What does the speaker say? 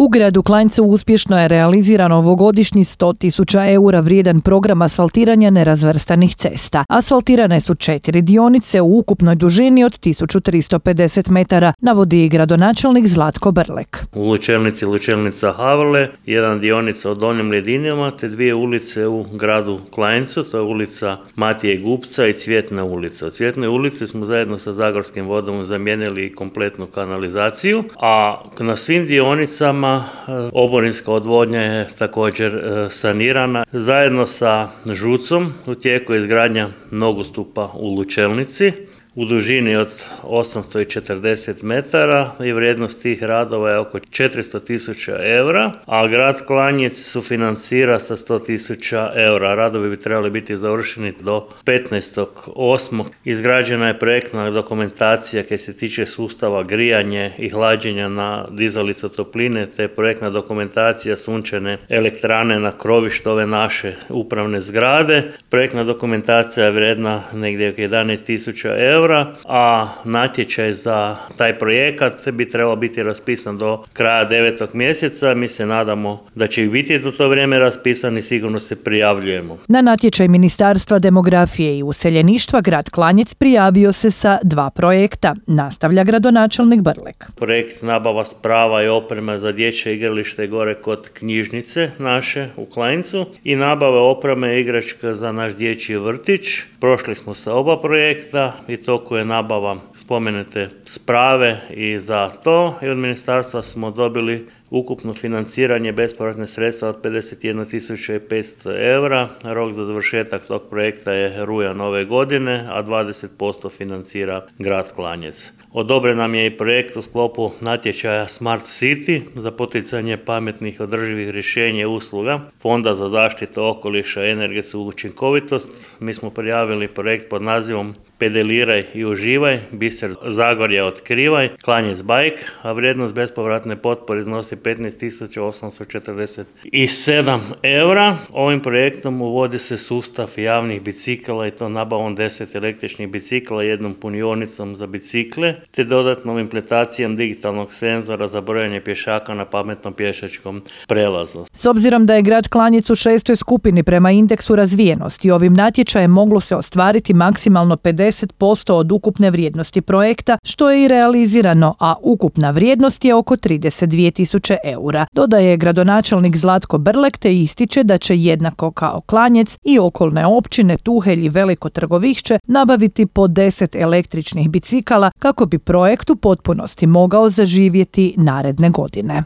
U gradu Klanjcu uspješno je realiziran ovogodišnji 100.000 eura vrijedan program asfaltiranja nerazvrstanih cesta. Asfaltirane su 4 dionice u ukupnoj dužini od 1350 metara, navodi gradonačelnik Zlatko Brlek. U Lučelnici Lučelnica Havrle, jedan dionica od Donjim Ledinama te 2 ulice u gradu Klanjcu, to je ulica Matije Gupca i Cvjetna ulica. U Cvjetnoj ulici smo zajedno sa Zagorskim vodom zamijenili kompletnu kanalizaciju, a na svim dionicama oborinska odvodnja je također sanirana. Zajedno sa ŽUC-om u tijeku je izgradnja nogostupa u Lučelnici u dužini od 840 metara i vrijednost tih radova je oko 400.000 eura, a grad Klanjec sufinancira sa 100.000 eura. Radovi bi trebali biti završeni do 15.8. Izgrađena je projektna dokumentacija koja se tiče sustava grijanje i hlađenja na dizalicu topline, te projektna dokumentacija sunčane elektrane na krovištu ove naše upravne zgrade. Projektna dokumentacija je vrijedna negdje oko 11.000 eura, a natječaj za taj projekat bi trebao biti raspisan do kraja 9. mjeseca. Mi se nadamo da će biti do to vrijeme raspisan i sigurno se prijavljujemo. Na natječaj Ministarstva demografije i useljeništva grad Klanjec prijavio se sa 2 projekta, nastavlja gradonačelnik Brlek. Projekt nabava sprava i opreme za dječje igralište gore kod knjižnice naše u Klanjcu i nabave opreme i igračka za naš dječji vrtić. Prošli smo sa oba projekta i to koje je nabava spomenute sprave i za to i od ministarstva smo dobili ukupno financiranje bespovratne sredstva od 51.500 eura. Rok za završetak tog projekta je rujan ove godine, a 20% financira grad Klanjec. Odobren nam je i projekt u sklopu natječaja Smart City za poticanje pametnih održivih rješenja i usluga Fonda za zaštitu okoliša i energetsku učinkovitost. Mi smo prijavili projekt pod nazivom Pedeliraj i uživaj, biser Zagorja otkrivaj, Klanjec bike, a vrijednost bespovratne potpore iznosi 15.847 eura. Ovim projektom uvodi se sustav javnih bicikala i to nabavom 10 električnih bicikla, jednom punionicom za bicikle, te dodatnom implementacijom digitalnog senzora za brojanje pješaka na pametnom pješačkom prelazu. S obzirom da je grad Klanjec u 6. skupini prema indeksu razvijenosti, ovim natječajem moglo se ostvariti maksimalno 50% od ukupne vrijednosti projekta, što je i realizirano, a ukupna vrijednost je oko 32.000 eura. Dodaje gradonačelnik Zlatko Brlek te ističe da će jednako kao Klanjec i okolne općine Tuhelj i Veliko Trgovišće nabaviti po 10 električnih bicikala kako bi projekt u potpunosti mogao zaživjeti naredne godine.